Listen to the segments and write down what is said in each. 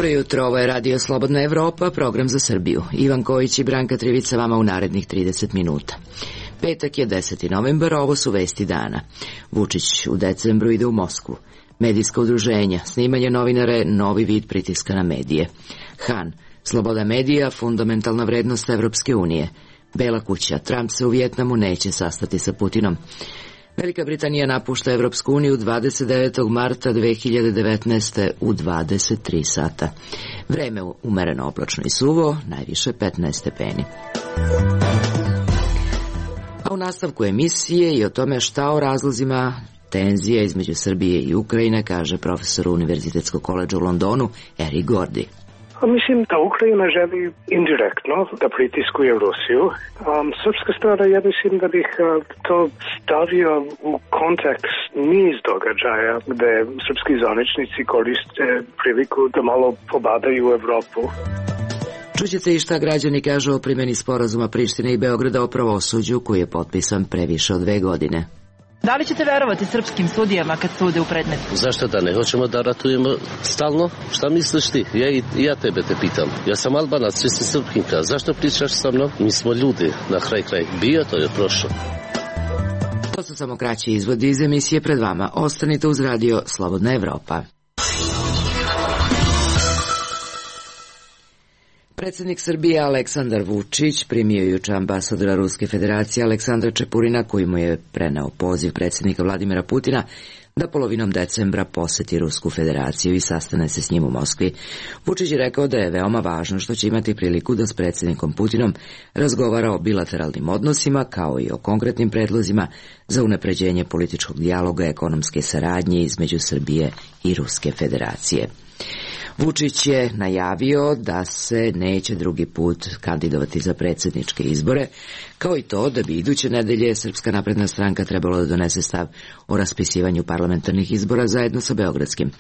Dobro jutro, ovo je Radio Slobodna Evropa, program za Srbiju. Ivan Kojić i Branka Trivica vama u narednih 30 minuta. Petak je 10. novembar, ovo su vesti dana. Vučić u decembru ide u Moskvu. Medijska udruženja, snimanje novinare, novi vid pritiska na medije. Han, sloboda medija, fundamentalna vrednost Evropske unije. Bela kuća, Trump se u Vijetnamu neće sastati sa Putinom. Velika Britanija napušta Evropsku uniju 29. marta 2019. u 23 sata. Vreme umereno oblačno i suvo, najviše 15 stepeni. A u nastavku emisije i o tome šta o razlozima tenzija između Srbije i Ukrajine kaže profesor Univerzitetskog koledža u Londonu Eric Gordy. Mislim da Ukrajina želi indirektno da pritiskuje Rusiju. Srpska strana, ja mislim da bih to stavio u kontekst niz događaja gde srpski zvaničnici koriste priliku da malo pobadaju Evropu. Čućete i šta građani kažu o primjeni sporazuma Prištine i Beograda o pravosuđu koji je potpisan pre više od 2 godine. Da li ćete verovati srpskim sudijama kad sude u predmetu? Zašto da ne? Hoćemo da ratujemo stalno? Šta misliš ti? Ja tebe te pitam. Ja sam Albanac, ti si Srpkinka. Zašto pričaš sa mnom? Mi smo ljudi. Na kraj bio, to je prošlo. To su samo kraći izvodi iz emisije pred vama. Ostanite uz Radio Slobodna Evropa. Predsjednik Srbije Aleksandar Vučić primio juče ambasadora Ruske federacije Aleksandra Čepurina, koji mu je preneo poziv predsjednika Vladimira Putina da polovinom decembra poseti Rusku federaciju i sastane se s njim u Moskvi. Vučić je rekao da je veoma važno što će imati priliku da s predsjednikom Putinom razgovara o bilateralnim odnosima kao i o konkretnim predlozima za unapređenje političkog dijaloga i ekonomske saradnje između Srbije i Ruske federacije. Vučić je najavio da se neće drugi put kandidovati za predsjedničke izbore, kao i to da bi iduće nedelje Srpska napredna stranka trebalo da donese stav o raspisivanju parlamentarnih izbora zajedno sa beogradskim.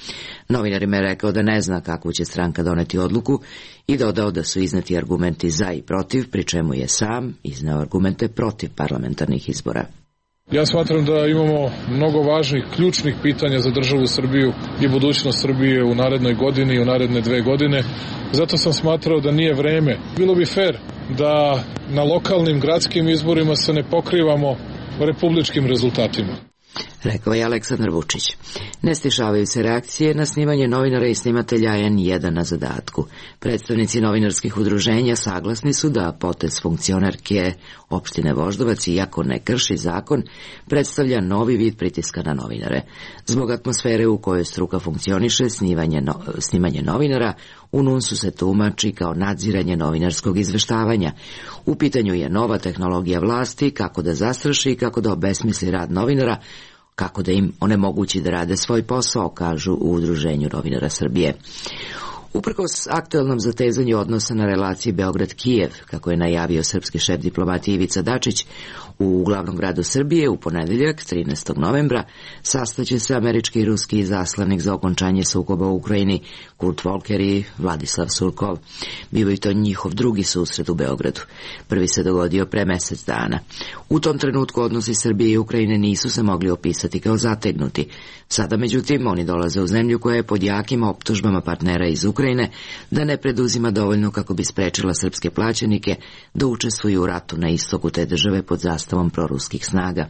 Novinarima je rekao da ne zna kakvu će stranka doneti odluku i dodao da su izneti argumenti za i protiv, pri čemu je sam izneo argumente protiv parlamentarnih izbora. Ja smatram da imamo mnogo važnih, ključnih pitanja za državu Srbiju i budućnost Srbije u narednoj godini i u naredne 2 godine. Zato sam smatrao da nije vreme. Bilo bi fer da na lokalnim gradskim izborima se ne pokrivamo republičkim rezultatima. Rekao je Aleksandar Vučić. Ne stišavaju se reakcije na snimanje novinara i snimatelja N1 na zadatku. Predstavnici novinarskih udruženja saglasni su da potez funkcionerke opštine Voždovac, iako ne krši zakon, predstavlja novi vid pritiska na novinare. Zbog atmosfere u kojoj struka funkcioniše, snimanje novinara u NUNS-u se tumači kao nadziranje novinarskog izveštavanja. U pitanju je nova tehnologija vlasti, kako da zastraši i kako da obesmisli rad novinara, kako da im onemogući da rade svoj posao, kažu u Udruženju novinara Srbije. Uprkos aktuelnom zatezanju odnosa na relaciji Beograd-Kijev, kako je najavio srpski šef diplomatije Ivica Dačić, u glavnom gradu Srbije u ponedeljak, 13. novembra, sastaće se američki i ruski izaslanik za okončanje sukoba u Ukrajini, Kurt Volker i Vladislav Surkov. Bio je to njihov drugi susret u Beogradu. Prvi se dogodio pre mesec dana. U tom trenutku odnosi Srbije i Ukrajine nisu se mogli opisati kao zategnuti. Sada, međutim, oni dolaze u zemlju koja je pod jakim optužbama partnera iz Ukrajine da ne preduzima dovoljno kako bi sprečila srpske plaćenike da učestvuju u ratu na istoku te države pod zastavom proruskih snaga.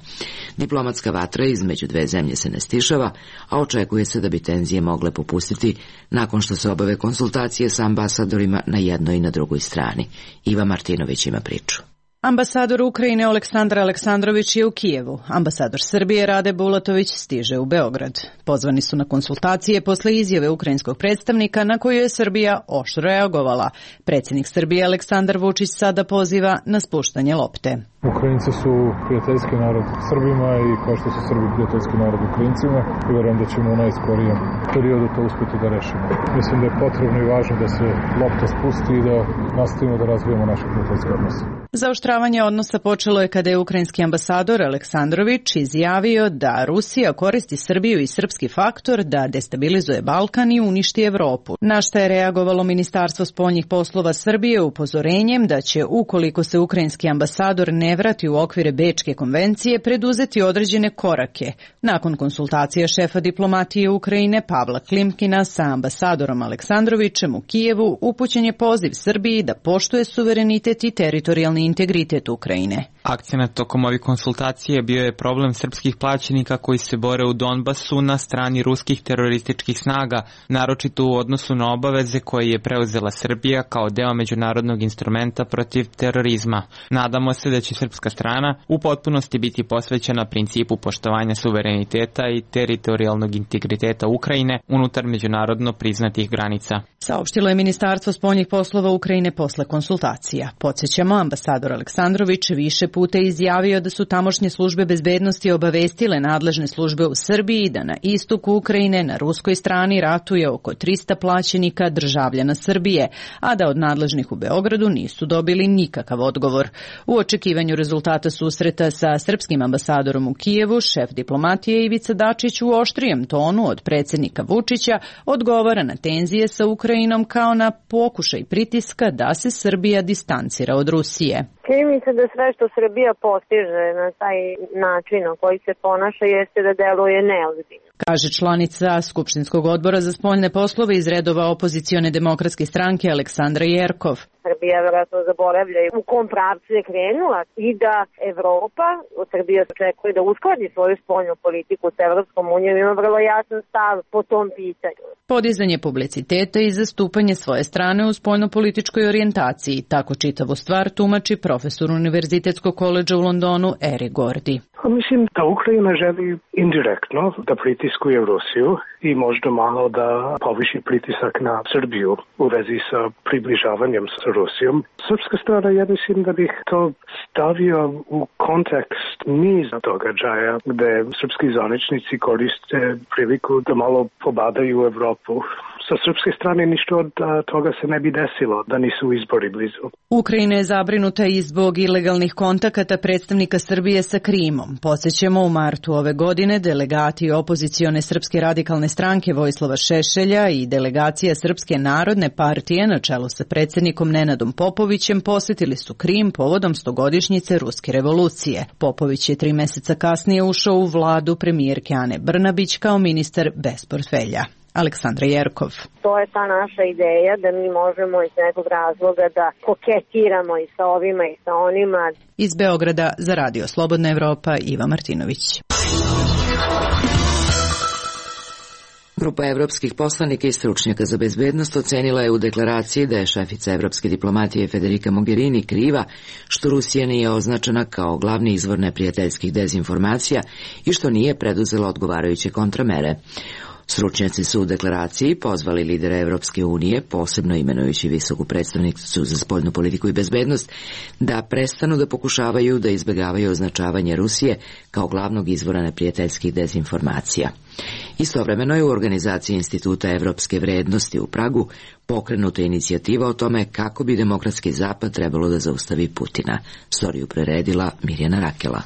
Diplomatska vatra između 2 zemlje se ne stišava, a očekuje se da bi tenzije mogle popustiti nakon što se obave konsultacije sa ambasadorima na jednoj i na drugoj strani. Iva Martinović ima priču. Ambasador Ukrajine Aleksandar Aleksandrović je u Kijevu. Ambasador Srbije Rade Bulatović stiže u Beograd. Pozvani su na konsultacije posle izjave ukrajinskog predstavnika na koju je Srbija oštro reagovala. Predsjednik Srbije Aleksandar Vučić sada poziva na spuštanje lopte. Ukrajinci su prijateljski narod Srbima i kao što su Srbi prijateljski narod Ukrajincima i verujem da ćemo u najskorijem periodu to uspjeti da rešimo. Mislim da je potrebno i važno da se lopta spusti i da nastavimo da razvijemo naše prijateljske odnose. Zaoštravanje odnosa počelo je kada je ukrajinski ambasador Aleksandrović izjavio da Rusija koristi Srbiju i srpski faktor da destabilizuje Balkan i uništi Evropu. Na šta je reagovalo Ministarstvo spoljnih poslova Srbije upozorenjem da će, ukoliko se ukrajinski ambasador ne ne vrati u okvire Bečke konvencije, preduzeti određene korake. Nakon konsultacija šefa diplomatije Ukrajine Pavla Klimkina sa ambasadorom Aleksandrovićem u Kijevu, upućen je poziv Srbiji da poštuje suverenitet i teritorijalni integritet Ukrajine. Akcenat tokom ovih konsultacija bio je problem srpskih plaćenika koji se bore u Donbasu na strani ruskih terorističkih snaga, naročito u odnosu na obaveze koje je preuzela Srbija kao deo međunarodnog instrumenta protiv terorizma. Nadamo se da će srpska strana u potpunosti biti posvećena principu poštovanja suvereniteta i teritorijalnog integriteta Ukrajine unutar međunarodno priznatih granica. Saopštilo je Ministarstvo spoljnih poslova Ukrajine posle konsultacija. Podsjećamo, ambasador Aleksandrović više puta izjavio da su tamošnje službe bezbednosti obavestile nadležne službe u Srbiji da na istoku Ukrajine na ruskoj strani ratuje oko 300 plaćenika državljana Srbije, a da od nadležnih u Beogradu nisu dobili nikakav odgovor. U očekivanju rezultata susreta sa srpskim ambasadorom u Kijevu, šef diplomatije Ivica Dačić u oštrijem tonu od predsjednika Vučića odgovara na tenzije sa Ukrajinom kao na pokušaj pritiska da se Srbija distancira od Rusije. Čini mi se da sve što Srbija postiže na taj način na koji se ponaša jeste da deluje neozbiljno. Kaže članica Skupštinskog odbora za spoljne poslove iz redova opozicione demokratske stranke Aleksandra Jerkov. Srbija vjerojatno zaboravlja u kom pravcu je krenula i da Evropa, Srbija očekuje da uskladi svoju spoljnu politiku s Evropskom unijom, ima vrlo jasan stav po tom pitanju. Podizanje publiciteta i zastupanje svoje strane u spoljnopolitičkoj orijentaciji, tako čitavu stvar tumači profesor Univerzitetskog koledža u Londonu Eri Gordi. Mislim da Ukrajina želi indirektno da pritiskuje Rusiju i možda malo da poviši pritisak na Srbiju u vezi sa približavanjem sa Rusijom. Srpska strana, ja mislim da bih to stavio u kontekst niza događaja gde srpski zvaničnici koriste priliku da malo pobadaju Evropu. Sa srpske strane ništa od toga se ne bi desilo da nisu izbori blizu. Ukrajina je zabrinuta i zbog ilegalnih kontakata predstavnika Srbije sa Krimom. Podsjećamo, u martu ove godine delegati opozicione Srpske radikalne stranke Vojislava Šešelja i delegacija Srpske narodne partije na čelu sa predsjednikom Nenadom Popovićem posjetili su Krim povodom 100-godišnjice Ruske revolucije. Popović je 3 meseca kasnije ušao u vladu premijerke Ane Brnabić kao ministar bez portfelja. Aleksandra Jerkov. To je ta naša ideja da mi možemo iz nekog razloga da koketiramo i sa ovima i sa onima. Iz Beograda za Radio Slobodna Evropa Iva Martinović. Grupa evropskih poslanika i stručnjaka za bezbednost ocenila je u deklaraciji da je šefica evropske diplomatije Federica Mogherini kriva što Rusija nije označena kao glavni izvor neprijateljskih dezinformacija i što nije preduzela odgovarajuće kontramere. Stručnjaci su u deklaraciji pozvali lidera Evropske unije, posebno imenujući visoku predstavnicu za spoljnu politiku i bezbednost, da prestanu da pokušavaju da izbjegavaju označavanje Rusije kao glavnog izvora neprijateljskih dezinformacija. Istovremeno je u organizaciji Instituta evropske vrednosti u Pragu pokrenuta inicijativa o tome kako bi demokratski zapad trebalo da zaustavi Putina. Storiju preredila Mirjana Rakela.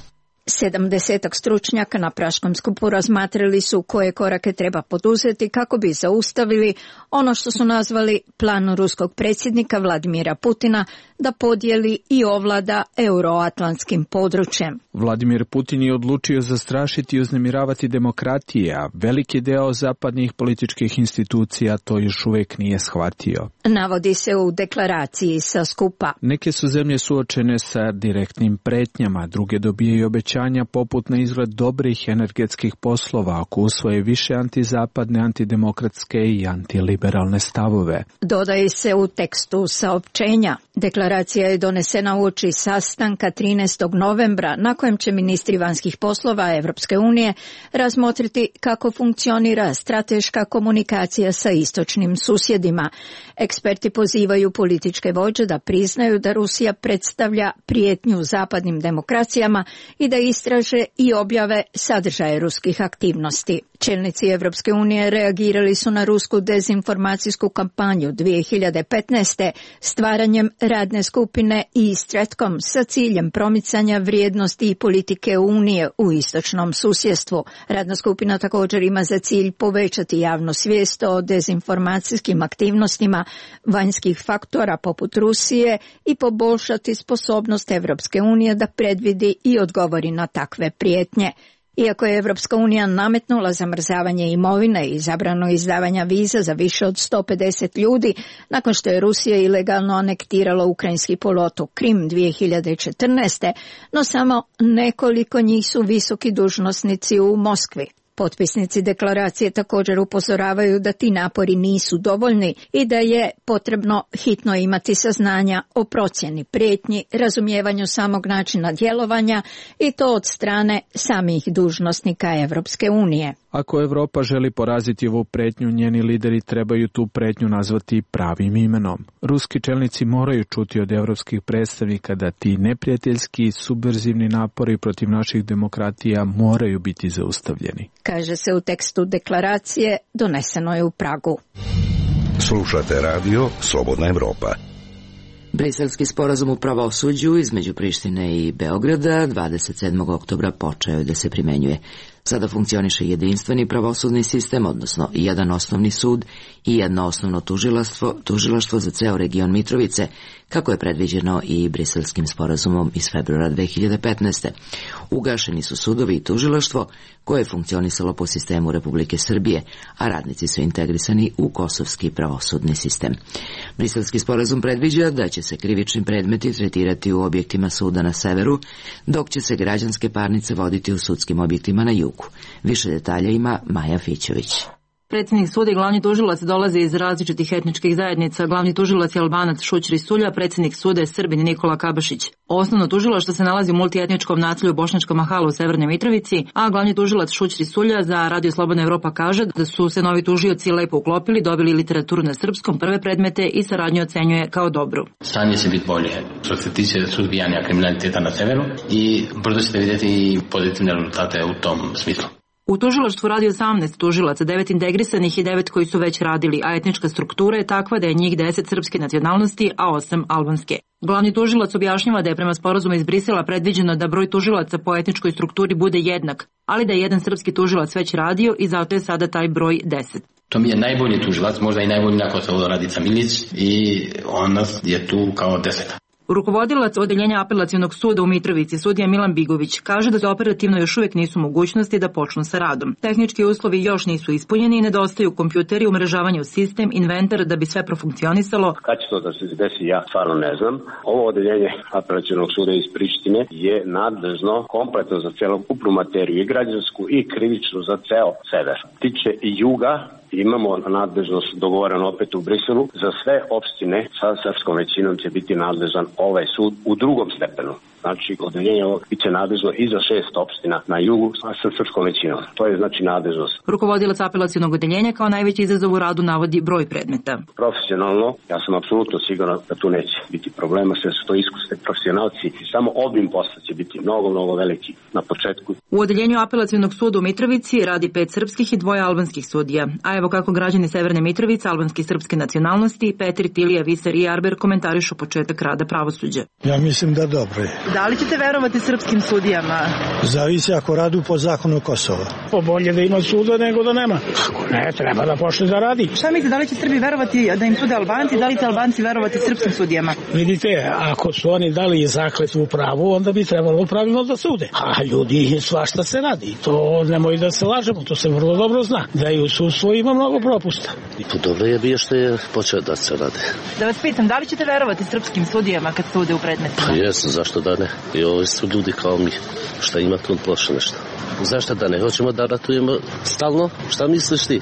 70 stručnjaka na Praškom skupu razmatrali su koje korake treba poduzeti kako bi zaustavili ono što su nazvali plan ruskog predsjednika Vladimira Putina da podijeli i ovlada euroatlantskim područjem. Vladimir Putin je odlučio zastrašiti i uznemiravati demokratije, a veliki deo zapadnih političkih institucija to još uvijek nije shvatio. Navodi se u deklaraciji sa skupa. Neke su zemlje suočene sa direktnim pretnjama, druge dobijaju obećanja poput na izgled dobrih energetskih poslova ako usvoje više antizapadne, antidemokratske i antiliberalne stavove. Dodaje se u tekstu saopćenja. Deklaracija je donesena uoči sastanka 13. novembra na kojem će ministri vanjskih poslova Evropske unije razmotriti kako funkcionira strateška komunikacija sa istočnim susjedima. Eksperti pozivaju političke vođe da priznaju da Rusija predstavlja prijetnju zapadnim demokracijama i da istraže i objave sadržaje ruskih aktivnosti. Čelnici Evropske unije reagirali su na rusku dezinformacijsku kampanju 2015. stvaranjem radne skupine Istratkom sa ciljem promicanja vrijednosti i politike Unije u istočnom susjedstvu. Radna skupina također ima za cilj povećati javnu svijest o dezinformacijskim aktivnostima vanjskih faktora poput Rusije i poboljšati sposobnost Evropske unije da predvidi i odgovori na takve prijetnje. Iako je Evropska unija nametnula zamrzavanje imovine i zabranu izdavanja viza za više od 150 ljudi, nakon što je Rusija ilegalno anektirala ukrajinski poluotok Krim 2014. no samo nekoliko njih su visoki dužnosnici u Moskvi. Potpisnici deklaracije također upozoravaju da ti napori nisu dovoljni i da je potrebno hitno imati saznanja o procjeni prijetnji, razumijevanju samog načina djelovanja i to od strane samih dužnosnika Evropske unije. Ako Evropa želi poraziti ovu pretnju, njeni lideri trebaju tu pretnju nazvati pravim imenom. Ruski čelnici moraju čuti od evropskih predstavnika da ti neprijateljski i subverzivni napori protiv naših demokratija moraju biti zaustavljeni. Kaže se u tekstu deklaracije, doneseno je u Pragu. Slušate radio Slobodna Evropa. Briselski sporazum u pravosuđu između Prištine i Beograda 27. oktobra počeo je da se primenjuje. Sada funkcioniše jedinstveni pravosudni sistem, odnosno jedan osnovni sud i jedno osnovno tužilaštvo za ceo region Mitrovice, kako je predviđeno i Briselskim sporazumom iz februara 2015. Ugašeni su sudovi i tužilaštvo koje je funkcionisalo po sistemu Republike Srbije, a radnici su integrisani u kosovski pravosudni sistem. Briselski sporazum predviđa da će se krivični predmeti tretirati u objektima suda na severu, dok će se građanske parnice voditi u sudskim objektima na jugu. Više detalja ima Maja Fićović. Predsjednik suda i glavni tužilac dolaze iz različitih etničkih zajednica. Glavni tužilac je Albanac Šuć Risulja, predsjednik suda je Srbin Nikola Kabašić. Osnovno tužilaštvo se nalazi u multietničkom naselju Bošnjačka Mahala u Severnoj Mitrovici, a glavni tužilac Šuć Risulja za Radio Slobodna Evropa kaže da su se novi tužioci lepo uklopili, dobili literaturu na srpskom, prve predmete i saradnju ocenjuje kao dobru. Stanje će biti bolje što se tiče suzbijanja kriminaliteta na severu i brzo ćete vidjeti pozitivne rezultate u tom smislu. U tužilaštvu radi 18 tužilaca, 9 integrisanih i 9 koji su već radili, a etnička struktura je takva da je njih 10 srpske nacionalnosti, a 8 albanske. Glavni tužilac objašnjava da je prema sporazumu iz Brisela predviđeno da broj tužilaca po etničkoj strukturi bude jednak, ali da je jedan srpski tužilac već radio i zato je sada taj broj 10. To mi je najbolji tužilac, možda i najbolji nakon se Radica Milić i ona je tu kao 10. Rukovodilac odeljenja apelacionog suda u Mitrovici, sudija Milan Bigović, kaže da se operativno još uvijek nisu mogućnosti da počnu sa radom. Tehnički uslovi još nisu ispunjeni i nedostaju kompjuteri, umrežavanje u sistem, inventar da bi sve profunkcionisalo. Kad će to da se desi, ja stvarno ne znam. Ovo odeljenje apelacionog suda iz Prištine je nadležno kompletno za celokupnu materiju i građansku i krivičnu za ceo sever. Tiče i juga, imamo nadležnost dogovoreno opet u Briselu. Za sve opštine sa srpskom većinom će biti nadležan ovaj sud u drugom stepenu. Znači, odeljenje ovo biće nadležno i za 6 opština na jugu sa srpskom većinom. To je znači nadležnost. Rukovodilac apelacionog odeljenja kao najveći izazov u radu navodi broj predmeta. Profesionalno, ja sam apsolutno siguran da tu neće biti problema, sve su to iskusni profesionalci i samo obim posla će biti mnogo veliki na početku. U odeljenju apelacionog suda u Mitrovici radi 5 srpskih i 2 albanskih sudija. A evo kako građani Severne Mitrovice, albanske i srpske nacionalnosti, Petri, Tilija, Viser i Arber komentarišu početak rada pravosuđa. Ja mislim da dobro je. Da li ćete verovati srpskim sudijama? Zavisi ako radu po zakonu Kosova. Bolje da ima suda nego da nema. Ako ne, treba da počne da radi. Šta mislite, da li će Srbi verovati da im sude Albanci, da li će Albanci verovati srpskim sudijama? Vidite, ako su oni dali zakletvu u pravu, onda bi trebalo pravilno da sude. A ljudi, svašta se radi. To nemoj da se lažemo, to se vrlo dobro zna. Da i u sudstvu ima mnogo propusta. Dobro je bio što je počeo da se radi. Da vas pitam, da li ćete verovati srpskim sudijama kad sude u predmetima? Pa jesam, zašto da ne? I ovi su ljudi kao mi. Šta ima tu loše nešto? Zašto da ne? Hoćemo da ratujemo stalno? Šta misliš ti?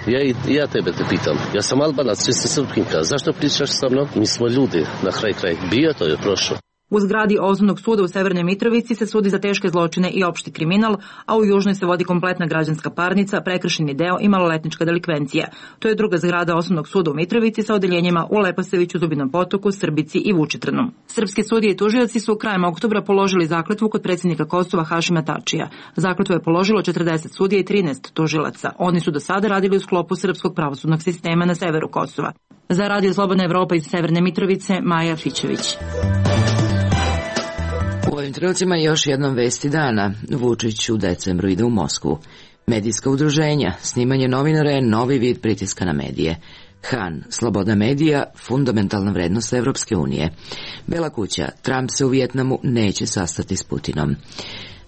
Ja tebe te pitam. Ja sam Albanac, ti si Srpkinka. Zašto pričaš sa mnom? Mi smo ljudi, na kraj. Bio to je prošlo. U zgradi Osnovnog suda u Severnoj Mitrovici se sudi za teške zločine i opšti kriminal, a u Južnoj se vodi kompletna građanska parnica, prekršajni deo i maloletnička delikvencija. To je druga zgrada Osnovnog suda u Mitrovici sa odeljenjima u Leposaviću, Dubinom Potoku, Srbici i Vučitrnu. Srpski sudije i tužioci su krajem oktobra položili zakletvu kod predsjednika Kosova Hašima Tačija. Zakletvu je položilo 40 sudija i 13 tužilaca. Oni su do sada radili u sklopu srpskog pravosudnog sistema na severu Kosova. Za Radio Slobodna Evropa iz Severne Mitrovice, Maja Fićević. U ovim trenucima još jednom vesti dana. Vučić u decembru ide u Moskvu. Medijska udruženja, snimanje novinara je novi vid pritiska na medije. Han, sloboda medija, fundamentalna vrednost Evropske unije. Bela kuća, Trump se u Vijetnamu neće sastati s Putinom.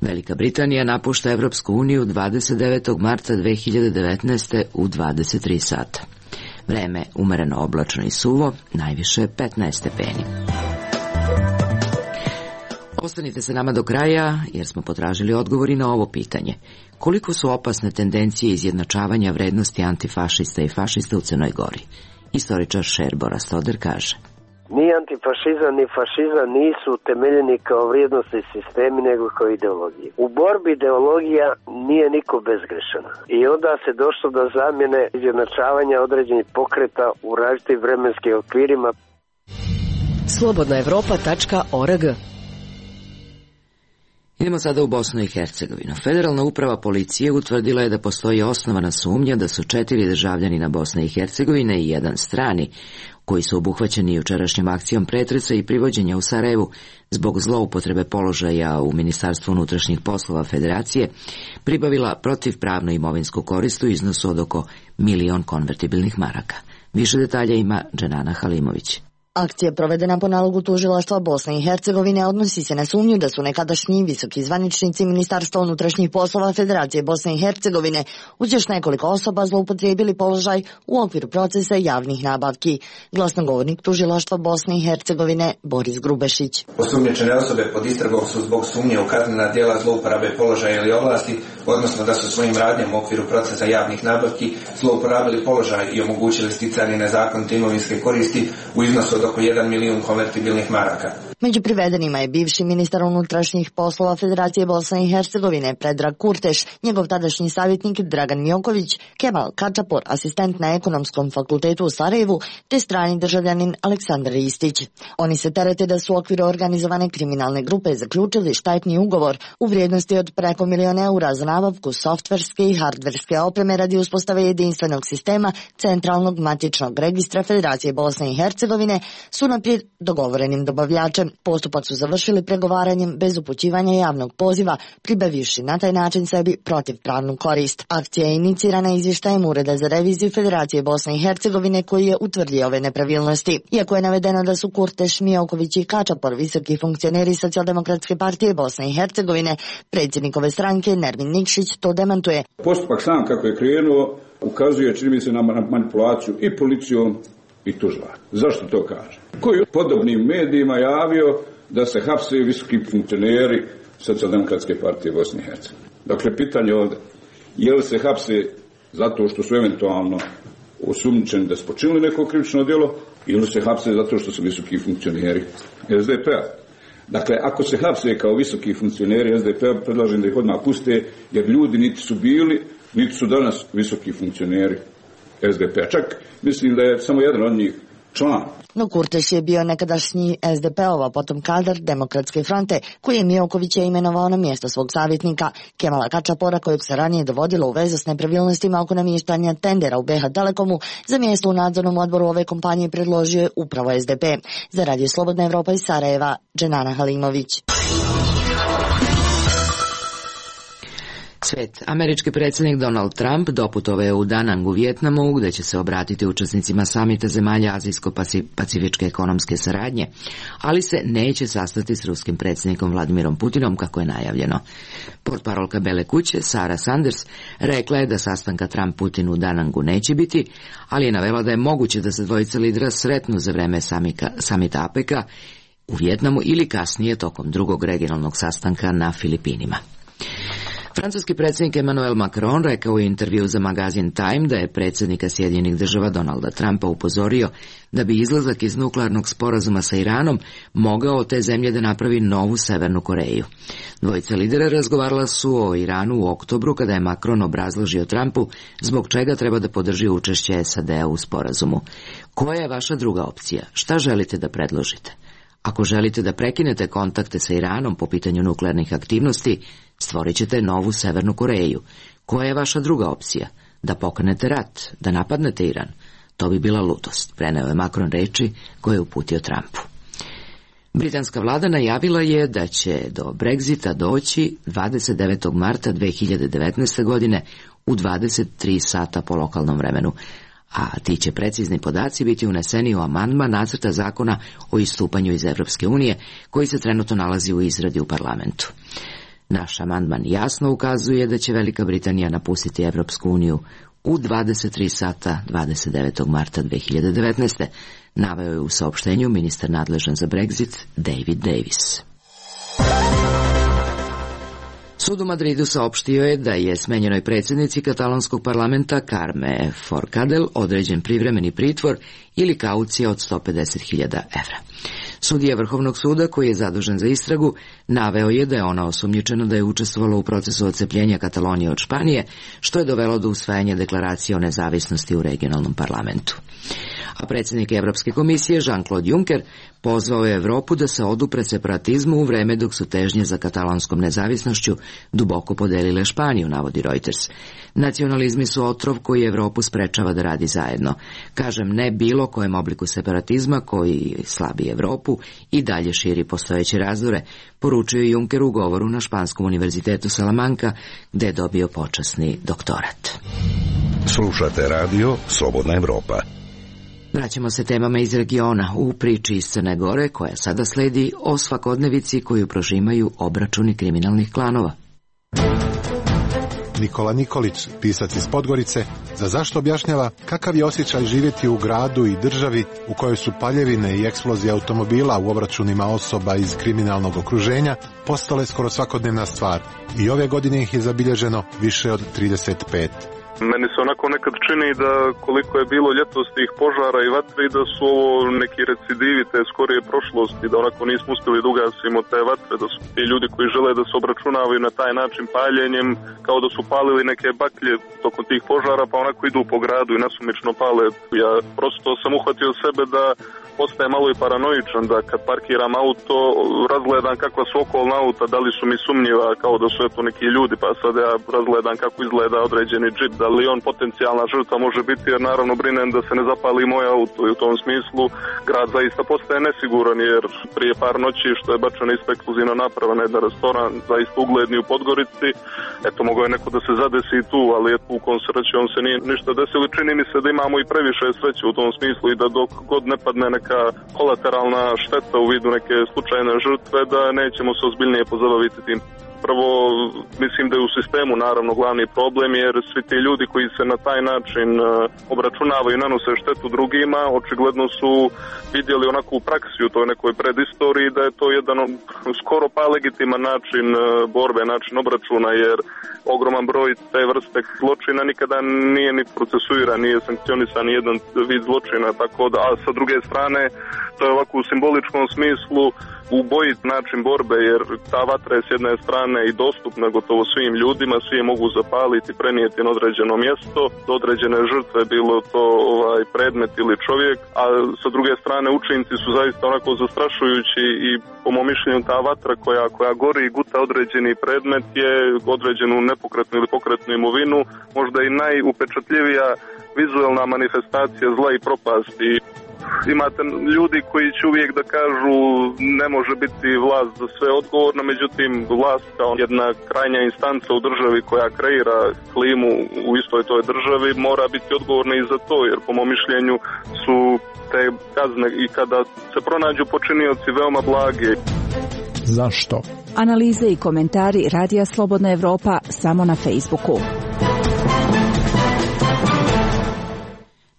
Velika Britanija napušta Evropsku uniju 29. marta 2019. u 23 sata. Vreme umereno oblačno i suvo, najviše 15 stepeni. Ostanite se nama do kraja, jer smo potražili odgovori na ovo pitanje. Koliko su opasne tendencije izjednačavanja vrednosti antifašista i fašista u Crnoj Gori? Istoričar Šerbora Stoder kaže: Ni antifašizam ni fašizam nisu utemeljeni kao vrijednosti sistemi, nego kao ideologije. U borbi ideologija nije niko bezgrešan. I onda se došlo do zamjene izjednačavanja određenih pokreta u različitim vremenskim okvirima. Slobodnaevropa.org. Idemo sada u Bosnu i Hercegovinu. Federalna uprava policije utvrdila je da postoji osnovana sumnja da su 4 državljanina Bosne i Hercegovine i 1 strani, koji su obuhvaćeni jučerašnjom akcijom pretresa i privođenja u Sarajevu zbog zloupotrebe položaja u Ministarstvu unutrašnjih poslova Federacije, pribavila protivpravnu imovinsku korist u iznosu od oko 1.000.000 konvertibilnih maraka. Više detalja ima Dženana Halimović. Akcija provedena po nalogu tužilaštva Bosne i Hercegovine odnosi se na sumnju da su nekadašnji visoki zvaničnici Ministarstva unutrašnjih poslova Federacije Bosne i Hercegovine uz još nekoliko osoba zloupotrijebili položaj u okviru procesa javnih nabavki. Glasnogovornik tužilaštva Bosne i Hercegovine Boris Grubešić. Osumnjičene osobe pod istragom su zbog sumnje u kaznena djela zlouporabe položaja ili ovlasti, odnosno da su svojim radnjama u okviru procesa javnih nabavki zlouporabili položaj i omogućili sticanje nezakonite imovinske koristi u iznosu od oko 1.000.000 konvertibilnih maraka. Među privedenima je bivši ministar unutrašnjih poslova Federacije Bosne i Hercegovine Predrag Kurteš, njegov tadašnji savjetnik Dragan Mjoković, Kemal Kačapor, asistent na Ekonomskom fakultetu u Sarajevu, te strani državljanin Aleksandar Ristić. Oni se terete da su u okviru organizovane kriminalne grupe zaključili štetni ugovor u vrijednosti od preko 1.000.000 eura za nabavku softverske i hardverske opreme radi uspostave jedinstvenog sistema Centralnog matičnog registra Federacije Bosne i Hercegovine s unaprijed dogovorenim dobavljačem. Postupak su završili pregovaranjem bez upućivanja javnog poziva, pribavivši na taj način sebi protivpravnu korist. Akcija je inicirana izvještajem Ureda za reviziju Federacije Bosne i Hercegovine koji je utvrdio ove nepravilnosti. Iako je navedeno da su Kurteš, Mjoković i Kačapor visoki funkcioneri Socijaldemokratske partije Bosne i Hercegovine, predsjednikove stranke Nermin Nikšić to demantuje. Postupak sam kako je krenuo ukazuje, čini mi se, na manipulaciju i policijom i tužilaštvom. Zašto to kaže? Koji je podobnim medijima javio da se hapse visoki funkcioneri Socijaldemokratske partije Bosne i Hercegovine. Dakle, pitanje ovdje, je li se hapse zato što su eventualno osumnjičeni da su počinili neko krivično djelo ili se hapse zato što su visoki funkcioneri SDP-a? Dakle, ako se hapse kao visoki funkcioneri SDP-a, predlažem da ih odmah puste, jer ljudi niti su bili, niti su danas visoki funkcioneri SDP-a. Čak mislim da je samo jedan od njih član. No Kurteš je bio nekadašnji SDP-ova, potom kadar Demokratske fronte, koji je Mjokovića imenovao na mjesto svog savjetnika. Kemala Kačapora, kojeg se ranije dovodilo u vezu s nepravilnostima oko namještanja tendera u BH Telekomu, za mjesto u nadzornom odboru ove kompanije predložio je upravo SDP. Za Radio Slobodna Evropa iz Sarajeva, Dženana Halimović. Svet. Američki predsjednik Donald Trump doputovao je u Da Nang u Vijetnamu, gdje će se obratiti učesnicima samita zemalja Azijsko-pacifičke ekonomske saradnje, ali se neće sastati s ruskim predsjednikom Vladimirom Putinom, kako je najavljeno. Portparolka Bele kuće, Sarah Sanders, rekla je da sastanka Trump-Putin u Da Nangu neće biti, ali je navela da je moguće da se dvojica lidera sretnu za vreme samita APEC-a u Vijetnamu ili kasnije tokom drugog regionalnog sastanka na Filipinima. Francuski predsjednik Emmanuel Macron rekao u intervju za magazin Time da je predsjednika Sjedinjenih država Donalda Trumpa upozorio da bi izlazak iz nuklearnog sporazuma sa Iranom mogao od te zemlje da napravi novu Severnu Koreju. Dvojica lidera razgovarala su o Iranu u oktobru kada je Macron obrazložio Trumpu zbog čega treba da podrži učešće SAD-a u sporazumu. Koja je vaša druga opcija? Šta želite da predložite? Ako želite da prekinete kontakte sa Iranom po pitanju nuklearnih aktivnosti, stvorit ćete novu Severnu Koreju. Koja je vaša druga opcija? Da pokrenete rat, da napadnete Iran? To bi bila ludost, preneo je Macron reči koje je uputio Trumpu. Britanska vlada najavila je da će do Brexita doći 29. marta 2019. godine u 23 sata po lokalnom vremenu, a ti će precizni podaci biti uneseni u amandman nacrta zakona o istupanju iz Evropske unije, koji se trenutno nalazi u izradi u parlamentu. Naš amandman jasno ukazuje da će Velika Britanija napustiti Evropsku uniju u 23 sata 29. marta 2019. naveo je u saopštenju ministar nadležan za Brexit David Davis. Sud u Madridu saopštio je da je smenjenoj predsjednici katalonskog parlamenta Carme Forcadell određen privremeni pritvor ili kaucija od 150.000 evra. Sudija Vrhovnog suda, koji je zadužen za istragu, naveo je da je ona osumnjičena da je učestvovala u procesu odcepljenja Katalonije od Španije, što je dovelo do usvajanja deklaracije o nezavisnosti u regionalnom parlamentu. A predsjednik Evropske komisije Jean-Claude Juncker pozvao je Evropu da se odupre separatizmu u vreme dok su težnje za katalonskom nezavisnošću duboko podelile Španiju, navodi Reuters. Nacionalizmi su otrov koji Evropu sprečava da radi zajedno. Kažem ne bilo kojem obliku separatizma koji slabi Evropu i dalje širi postojeće razdore, poručio je Juncker u govoru na Španskom univerzitetu Salamanca, gde je dobio počasni doktorat. Slušate radio Slobodna Evropa. Vraćamo se temama iz regiona u priči iz Crne Gore, koja sada sledi o svakodnevici koju prožimaju obračuni kriminalnih klanova. Nikola Nikolić, pisac iz Podgorice, za zašto objašnjava kakav je osjećaj živjeti u gradu i državi u kojoj su paljevine i eksplozije automobila u obračunima osoba iz kriminalnog okruženja postale skoro svakodnevna stvar. I ove godine ih je zabilježeno više od 35. Meni se onako nekad čini da koliko je bilo ljetos tih požara i vatre i da su ovo neki recidivi te skorije prošlosti, da onako nismo uspjeli da ugasimo te vatre, da su ti ljudi koji žele da se obračunavaju na taj način paljenjem, kao da su palili neke baklje tokom tih požara, pa onako idu po gradu i nasumično pale. Ja prosto sam uhvatio sebe da postaje malo i paranoičan, da kad parkiram auto razgledam kakva su okolna auta, da li su mi sumnjiva kao da su eto neki ljudi, pa sad ja razgledam kako izgleda određeni džip, da li on potencijalna žrtva može biti, jer naravno brinem da se ne zapali moj auto i u tom smislu grad zaista postaje nesiguran, jer prije par noći što je bačena isto eksplozivna naprava na jedan restoran, zaista ugledni u Podgorici, eto mogao je neko da se zadesi i tu, ali eto u srećom se nije ništa desilo. Čini mi se da imamo i previše sreće u tom smislu i da dok god ne padne neka kolateralna šteta u vidu neke slučajne žrtve, da nećemo se ozbiljnije pozabaviti tim. Prvo, mislim da je u sistemu naravno glavni problem, jer svi ti ljudi koji se na taj način obračunavaju i nanose štetu drugima, očigledno su vidjeli onako u praksi u toj nekoj predistoriji da je to jedan skoro pa legitiman način borbe, način obračuna, jer ogroman broj te vrste zločina nikada nije ni procesuiran, nije sankcionisan ni jedan vid zločina, tako da, a sa druge strane to je ovako u simboličkom smislu ubojit način borbe, jer ta vatra je s jedne strane i dostupna gotovo svim ljudima, svi je mogu zapaliti, prenijeti na određeno mjesto, do određene žrtve, bilo to predmet ili čovjek, a sa druge strane učinci su zaista onako zastrašujući i po mom mišljenju ta vatra koja gori i guta određeni predmet je određenu nepokretnu ili pokretnu imovinu, možda i najupečatljivija vizualna manifestacija zla i propasti. Imate ljudi koji će uvijek da kažu ne može biti vlast za sve odgovorna, međutim vlast kao jedna krajnja instanca u državi koja kreira klimu u istoj toj državi mora biti odgovorna i za to, jer po mom mišljenju su te kazne i kada se pronađu počinioci veoma blage. Zašto? Analize i komentari Radija Slobodna Evropa samo na Facebooku.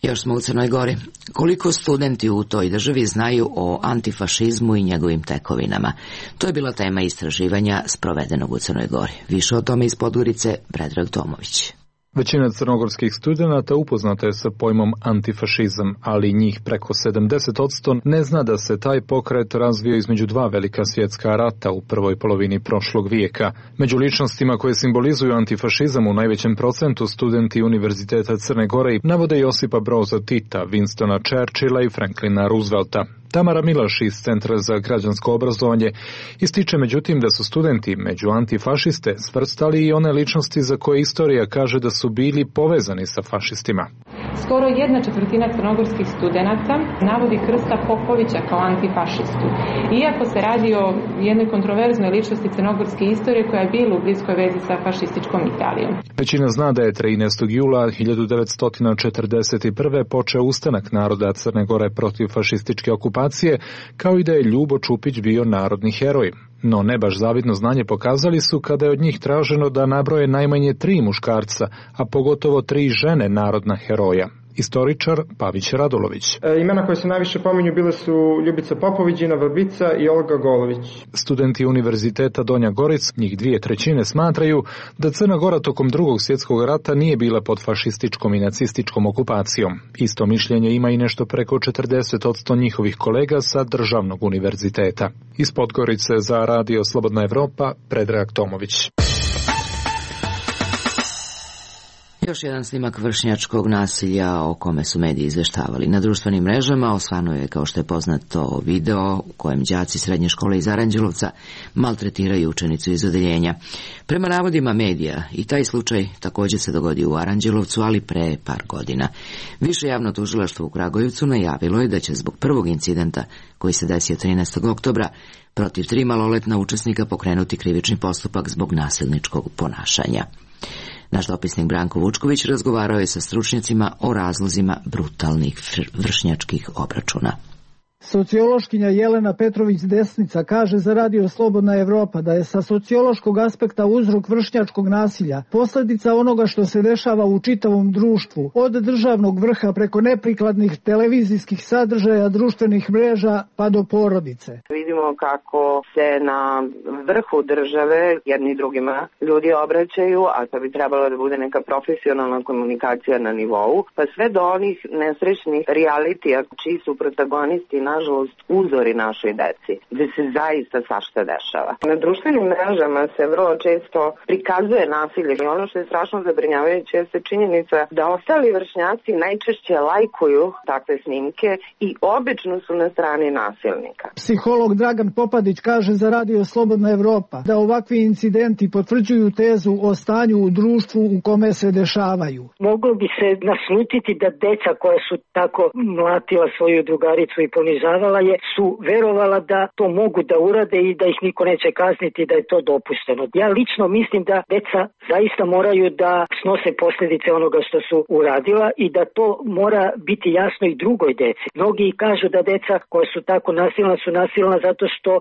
Još smo u Crnoj Gori. Koliko studenti u toj državi znaju o antifašizmu i njegovim tekovinama? To je bila tema istraživanja sprovedenog u Crnoj Gori. Više o tome iz Podgorice, Predrag Tomović. Većina crnogorskih studenata upoznata je sa pojmom antifašizam, ali njih preko 70% ne zna da se taj pokret razvio između dva velika svjetska rata u prvoj polovini prošlog vijeka. Među ličnostima koje simbolizuju antifašizam u najvećem procentu studenti Univerziteta Crne Gore navode Josipa Broza Tita, Winstona Churchilla i Franklina Roosevelta. Tamara Milaš iz Centra za građansko obrazovanje ističe međutim da su studenti među antifašiste svrstali i one ličnosti za koje istorija kaže da su bili povezani sa fašistima. Skoro 1/4 crnogorskih studenata navodi Krsta Popovića kao antifašistu. Iako se radi o jednoj kontroverznoj ličnosti crnogorske istorije koja je bila u bliskoj vezi sa fašističkom Italijom. Većina zna da je 13. jula 1941. počeo ustanak naroda Crne Gore protiv fašističke okupacije, kao i da je Ljubo Čupić bio narodni heroj. No ne baš zavidno znanje pokazali su kada je od njih traženo da nabroje najmanje 3 muškarca, a pogotovo 3 žene narodna heroja. Istoričar Pavić Radulović. Imena koje se najviše pominju bile su Ljubica Popović, Džina Vrbica i Olga Golović. Studenti Univerziteta Donja Goric, njih 2/3 smatraju da Crna Gora tokom Drugog svjetskog rata nije bila pod fašističkom i nacističkom okupacijom. Isto mišljenje ima i nešto preko 40% njihovih kolega sa državnog univerziteta. Iz Podgorice za Radio Slobodna Evropa, Predrag Tomović. Još jedan snimak vršnjačkog nasilja o kome su mediji izveštavali. Na društvenim mrežama osvanuo je, kao što je poznato, video u kojem đaci srednje škole iz Aranđelovca maltretiraju učenicu iz odeljenja. Prema navodima medija, i taj slučaj također se dogodio u Aranđelovcu, ali pre par godina. Više javno tužilaštvo u Kragujevcu najavilo je da će zbog prvog incidenta, koji se desio 13. oktobra, protiv 3 maloletna učesnika pokrenuti krivični postupak zbog nasilničkog ponašanja. Naš dopisnik Branko Vučković razgovarao je sa stručnjacima o razlozima brutalnih vršnjačkih obračuna. Sociološkinja Jelena Petrović-Desnica kaže za Radio Slobodna Evropa da je sa sociološkog aspekta uzrok vršnjačkog nasilja posljedica onoga što se dešava u čitavom društvu, od državnog vrha preko neprikladnih televizijskih sadržaja, društvenih mreža pa do porodice. Vidimo kako se na vrhu države jedni drugima ljudi obraćaju, a to bi trebalo da bude neka profesionalna komunikacija na nivou, pa sve do onih nesrećnih realitija čiji su protagonisti nažalost uzori našoj deci, gde se zaista svašta dešava. Na društvenim mrežama se vrlo često prikazuje nasilje i ono što je strašno zabrinjavajuće jeste činjenica da ostali vršnjaci najčešće lajkuju takve snimke i obično su na strani nasilnika. Psiholog Dragan Popadić kaže za Radio Slobodna Evropa da ovakvi incidenti potvrđuju tezu o stanju u društvu u kome se dešavaju. Moglo bi se naslutiti da deca koja su tako mlatila svoju drugaricu i ponižavala je, su verovala da to mogu da urade i da ih niko neće kazniti, da je to dopušteno. Ja lično mislim da deca zaista moraju da snose posljedice onoga što su uradila i da to mora biti jasno i drugoj deci. Mnogi kažu da deca koja su tako nasilna su nasilna zato što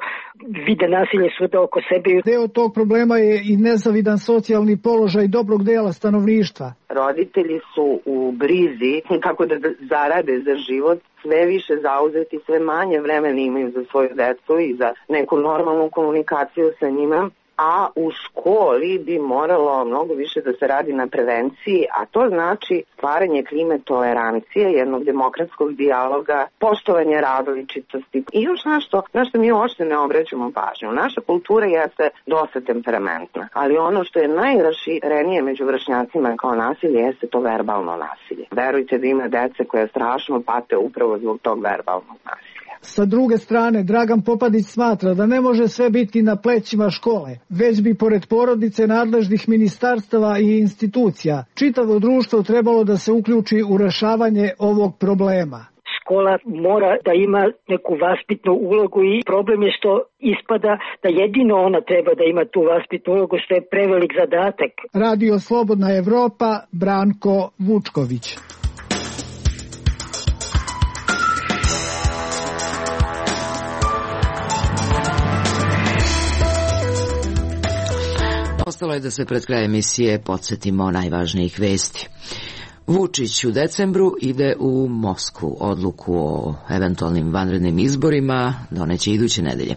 vide nasilje svuda oko sebe. Deo tog problema je i nezavidan socijalni položaj dobrog dela stanovništva. Roditelji su u brizi kako da zarade za život, sve više zauzeti, sve manje vremena imaju za svoju decu i za neku normalnu komunikaciju sa njima. A u školi bi moralo mnogo više da se radi na prevenciji, a to znači stvaranje klime tolerancije, jednog demokratskog dijaloga, poštovanje različitosti. I još nešto na što mi uopšte ne obraćamo pažnju. Naša kultura jeste dosta temperamentna, ali ono što je najraširenije među vršnjacima kao nasilje jeste to verbalno nasilje. Verujte da ima dece koje strašno pate upravo zbog tog verbalnog nasilja. Sa druge strane, Dragan Popadić smatra da ne može sve biti na plećima škole, već bi pored porodice, nadležnih ministarstava i institucija čitavo društvo trebalo da se uključi u rešavanje ovog problema. Škola mora da ima neku vaspitnu ulogu i problem je što ispada da jedino ona treba da ima tu vaspitnu ulogu, što je prevelik zadatak. Radio Slobodna Evropa, Branko Vučković. Ostalo je da se pred kraj emisije podsjetimo najvažnijih vesti. Vučić u decembru ide u Moskvu. Odluku o eventualnim vanrednim izborima doneće iduće nedelje.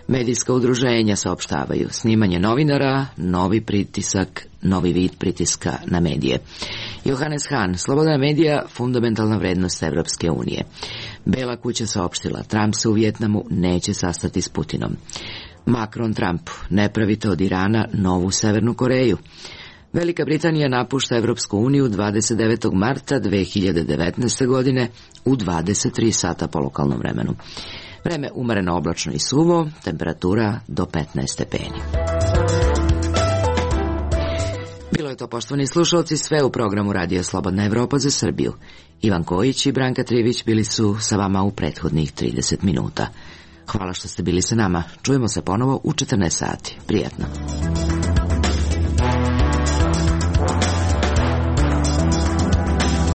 Medijska udruženja saopštavaju snimanje novinara, novi pritisak, novi vid pritiska na medije. Johannes Hahn, sloboda medija, fundamentalna vrednost Evropske unije. Bela kuća saopštila, Trump se u Vijetnamu neće sastati s Putinom. Macron Trump, ne pravite od Irana novu Severnu Koreju. Velika Britanija napušta Evropsku uniju 29. marta 2019. godine u 23 sata po lokalnom vremenu. Vreme umereno oblačno i suvo, temperatura do 15 stepeni. Bilo je to, poštovani slušalci, sve u programu Radio Slobodna Evropa za Srbiju. Ivan Kojić i Branka Trivić bili su sa vama u prethodnih 30 minuta. Hvala što ste bili sa nama. Čujemo se ponovo u 14 sati. Prijatno.